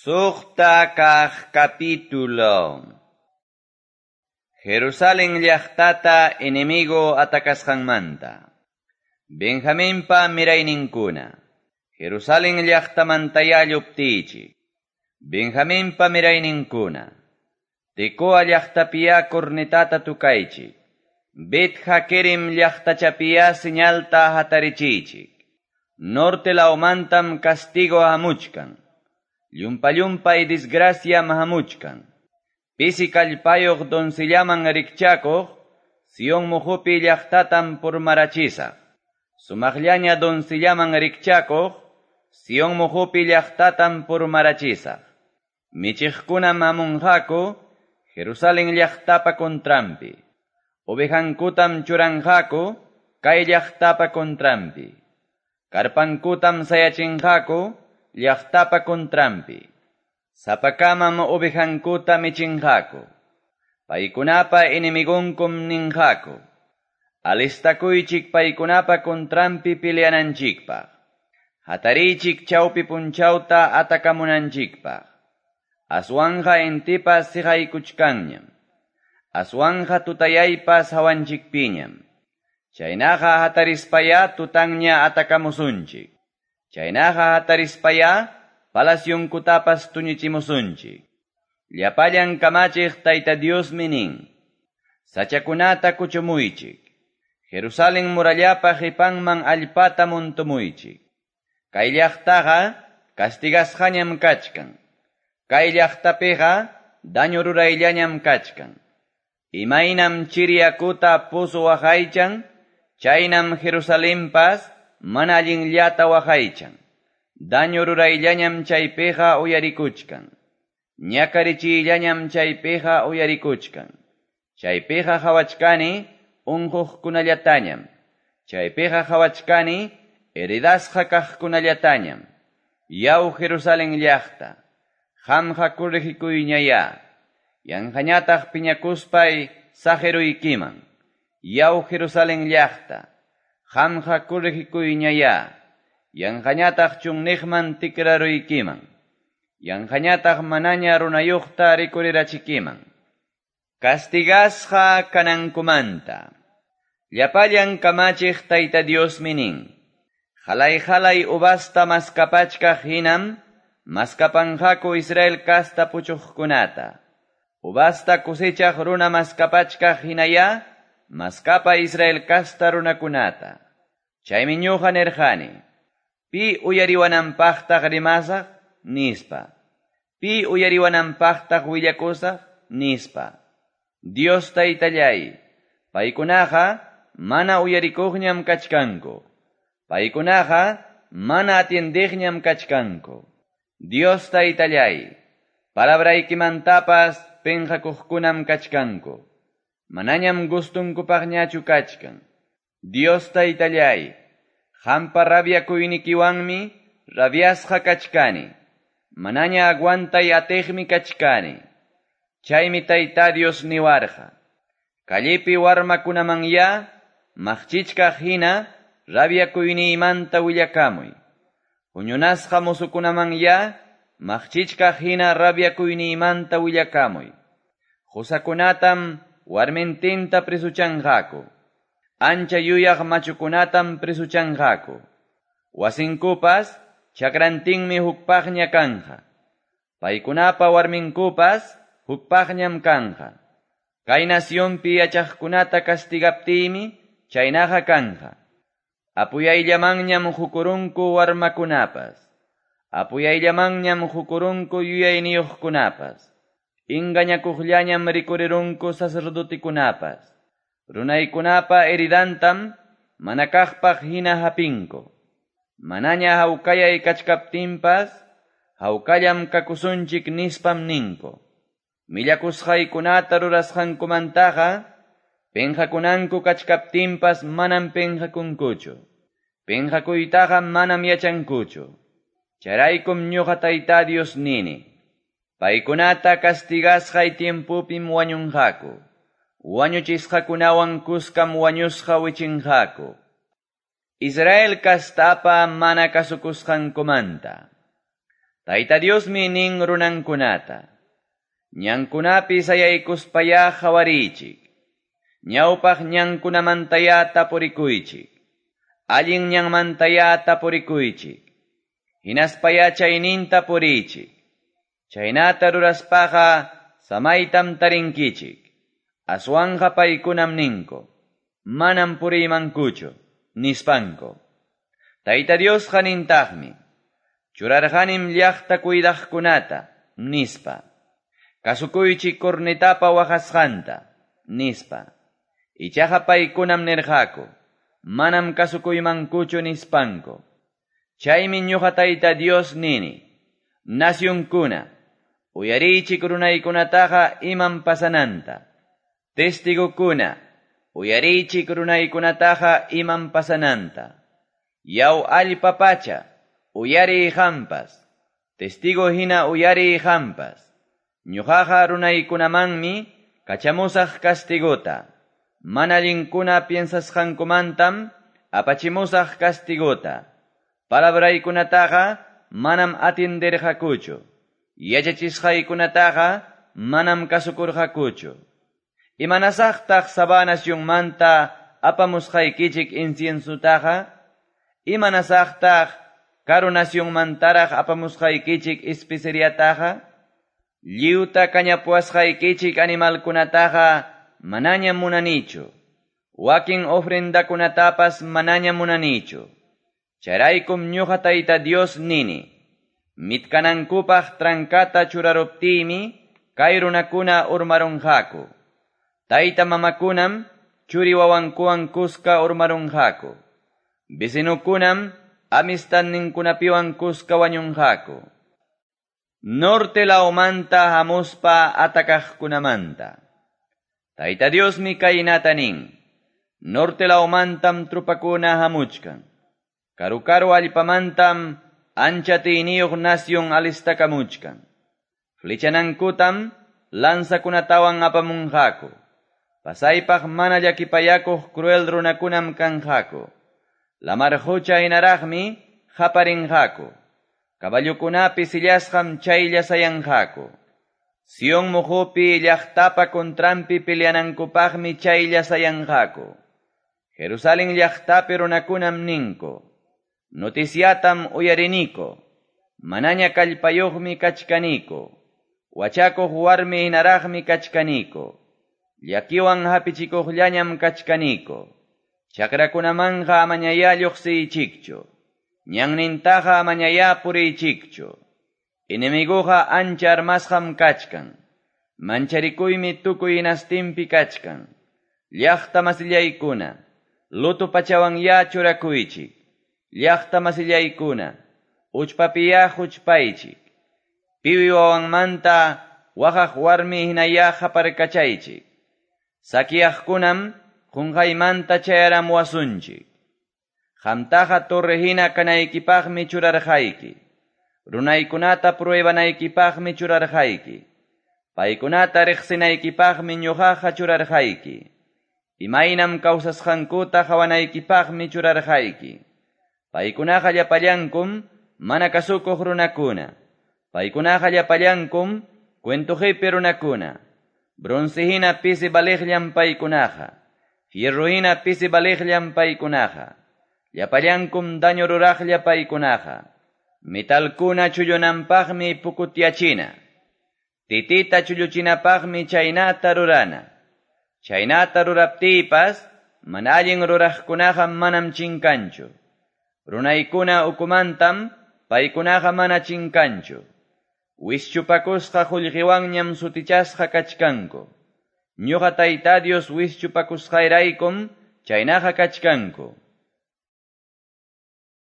Suqta kaq capítulo. Jerusalén llaqtata enemigo atakasqanmanta. Benjaminpa mirayninkuna. Jerusalén llaqtamantayá lluptichik. Benjaminpa mirayninkuna. Tecoa llaqtapiyá cornetata tukaychik. Bet Hakerem llaqtachapiyá señalta hatarichichik. Norte lawmantam castigo hamuchkan. Llumpa-llumpay desgracia hamuchkan. Pisi kallpayuq doncellaman rikchakuq, Sion muhupi llaqtatam purmarachisaq. Sumaqllaña doncellaman rikchakuq, Sion muhupi llaqtatam purmarachisaq. Michiqkunam hamunqaku, Jerusalén llaqtapa contranpi. Ovejankutam churanqaku, kay llaqtapa contranpi. Karpankutam sayachinqaku, llaqtapa contranpi. Sapakamam ovejankuta michinqaku. Paykunapa enemigonkum ninqaku. Alistakuychik paykunapa contranpi peleananchikpaq. Hatarichik chawpi punchawta atakamunanchikpaq. Aswanja intipas siqaykuchkanñam. Aswanja tutayaypas hawanchikpiñam. Chaynaqa hatarispaya tutanña atakamusunchik. Chaynaqa hatarispaya palacionkutapas tuñichimusunchik. Llapallan kamachiq Tayta Diosmi nin. Sachakunata kuchumuychik. Jerusalén murallapa qipanman allpata muntumuychik. Kay llaqtaqa castigasqañam kachkan. Kay llaqtapiqa daño rurayllañam kachkan. Imaynam chiri yakuta pozo waqaychan, chaynam Jerusalenpas mana allinllata waqaychan. Daño rurayllañam chaypiqa uyarikuchkan. Ñakarichiyllañam chaypiqa uyarikuchkan. Chaypiqa qhawachkani unquqkunallatañam. Chaypiqa qhawachkani heredasqa kaqkunallatañam. Yaw Jerusalén llaqta, qamqa corregikuyñayá. Yanqañataq piñakuspay saqiruykiman. Yaw Jerusalén llaqta, qamqa corregikuyñayá. Yanqañataq chunniqman tikraruykiman. Yanqañataq manaña runayuqta rikurirachikiman. Castigasqa kanankumanta. Llapallan kamachiq Tayta Diosmi nin. Halay-halay uvasta maskapachkaq hinam, maskapanqaku Israel kasta puchuqkunata. Uvasta cosechaq runa maskapachkaq hinayá, maskapa Israel kasta runakunata. Chaymi ñuqa nirqani. Pi uyariwananpaqtaq rimasaq, nispa. Pi uyariwananpaqtaq willakusaq, nispa. Dios Taytallay, paykunaqa mana uyarikuqñam kachkanku. Paykunaqa mana atiendiqñam kachkanku. Dios Taytallay, palabraykimantapas penqakuqkunam kachkanku. Manañam gustunkupaqñachu kachkan. Dios Taytallay, qampa rabiakuynikiwanmi rabiasqa kachkani. Manaña aguantay atiqmi kachkani. Chaymi Tayta Dios niwarqa. Callepi warmakunamanyá maqchichkaq hina rabiakuyniymanta willakamuy. Huñunasqa musukunamanyá maqchichkaq hina rabiakuyniymanta willakamuy. Qusakunatam warmintinta presuchanqaku. Ancha yuyaq machukunatam presuchanqaku. Wasinkupas chakrantinmi hukpaqña kanja. Paykunapa warminkupas hukpaqñam kanja. Kay nacionpi yachaqkunata castigaptiymi chaynaqa kanja. Apuyayllamanñam hukurunku warmakunapas. Apuyayllamanñam hukurunku yuyayniyuqkunapas. Engañakuqllañam rikurirunku sacerdotikunapas. Runaykunapa heridantam mana kaqpaq hina hapinku. Manaña hawkayay kachkaptinpas, hawkallam kakusunchik nispam ninku. Millakusqaykunata rurasqankumantaqa, penqakunanku kachkaptinpas manam penqakunkuchu. Penqakuytaqa manam yachankuchu. Chayraykum ñuqa Tayta Dios nini. Paykunata castigasqay tiempupim wañunqaku. Wañuchisqakunawan kuskam wañusqa wichinqaku. Israel kastapa mana kasukusqankumanta. Tayta Diosmi nin runankunata: Ñankunapi sayaykuspayá qawariychik. Ñawpaq ñankunamantayá tapurikuychik. Allin ñanmantayá tapurikuychik. Hinaspayá chayninta puriychik. Chaynata ruraspaqa samaytam tarinkichik. Aswanqa paykunam ninku: Manam puriymankuchu, nispanku. Tayta Diosqa nintaqmi: Churarqanim llaqta cuidaqkunata, nispa. Kasukuychik cornetapa waqasqanta, nispa. Ichaqa paykunam nirqaku: Manam kasukuymankuchu, nispanku. Chaymi ñuqa Tayta Dios nini: Nacionkuna, uyariychik runaykunataqa imam pasananta. Testigokuna, uyariychik runaykunataqa imam pasananta. Yaw allpa pacha, uyariy qampas. Testigo hina uyariy qampas. Ñuqaqa runaykunamanmi kachamusaq castigota. Mana allinkuna piensasqankumantam apachimusaq castigota. Palabraykunataqa manam atienderqakuchu. Yachachisqaykunataqa manam kasukurqakuchu. Imanasaqtaq Sabá nacionmanta apamusqaykichik inciensutaqa? Imanasaqtaq karu nacionmantaraq apamusqaykichik especeriataqa? Lliwta kañapuwasqaykichik animalkunataqa manañam munanichu. Wakin ofrendakunatapas manañam munanichu. Chayraykum ñuqa Tayta Dios nini: Mitkanankupaq trancata churaruptiymi kay runakuna urmarunqaku. Tayta mamakunam churi wawankuwan kuska urmarunqaku. Vecinukunam amistadninkunapiwan kuska wañunqaku. Norte lawmanta hamuspa atakaqkunamanta. Tayta Diosmi kaynata nin: Norte lawmantam trupakuna hamuchkan. Karu-karu allpamantam ancha atiyniyuq nación alistakamuchkan. Flechanankutam lanzakunatawan apamunqaku. Pasaypaq mana llakipayakuq cruel runakunam kanqaku. Lamar qucha hinaraqmi qaparinqaku. Caballokunapi sillasqam chaylla sayanqaku. Sion muqupi llaqtapa contranpi peleanankupaqmi chaylla sayanqaku. Jerusalén llaqtapi runakunam ninku: Noticiatam uyariniko. Manaña kallpayuqmi kachkaniko. Wachakuq warmi hinaraqmi kachkaniko. Llakiwan hapichikuqllañam kachkaniko. Chakrakunamanqa amañayá lluqsiychikchu. Ñannintaqa amañayá puriychikchu. Enemiguqa ancha armasqam kachkan. Mancharikuymi tukuy hinastinpi kachkan. Llaqta masillaykuna, luto pachawanyá churakuychik. Llaqta masillaykuna, uchpapiyá huchpaychik. Piwi wawanmanta waqaq warmi hinayá qaparkachaychik. Sakiaqkunam qunqaymanta chayaramuwasunchik. Qamtaqa torre hina kanaykipaqmi churarqayki. Runaykunata pruebanaykipaqmi churarqayki. Paykunata riqsinaykipaqmi ñuqaqa churarqayki. Imaynam kawsasqankuta qawanaykipaqmi churarqayki. Paykunaqa llapallankum mana kasukuq runakuna. Paykunaqa llapallankum cuento qipi runakuna. Bronce hina pisi valiqllam paykunaqa. Fierro hina pisi valiqllam paykunaqa. Llapallankum daño ruraqlla paykunaqa. Metalkuna chullunanpaqmi pukutyachina. Titita chulluchinapaqmi chaynata rurana. Chaynata ruraptiypas mana allin ruraqkunaqa manam chinkanchu. Runaykuna ukumantam paykunaqa mana chinkanchu. Wischupakusqa qullqiwanñam sutichasqa kachkanku. Ñuqa Tayta Dios wischupakusqayraykum chaynaqa kachkanku.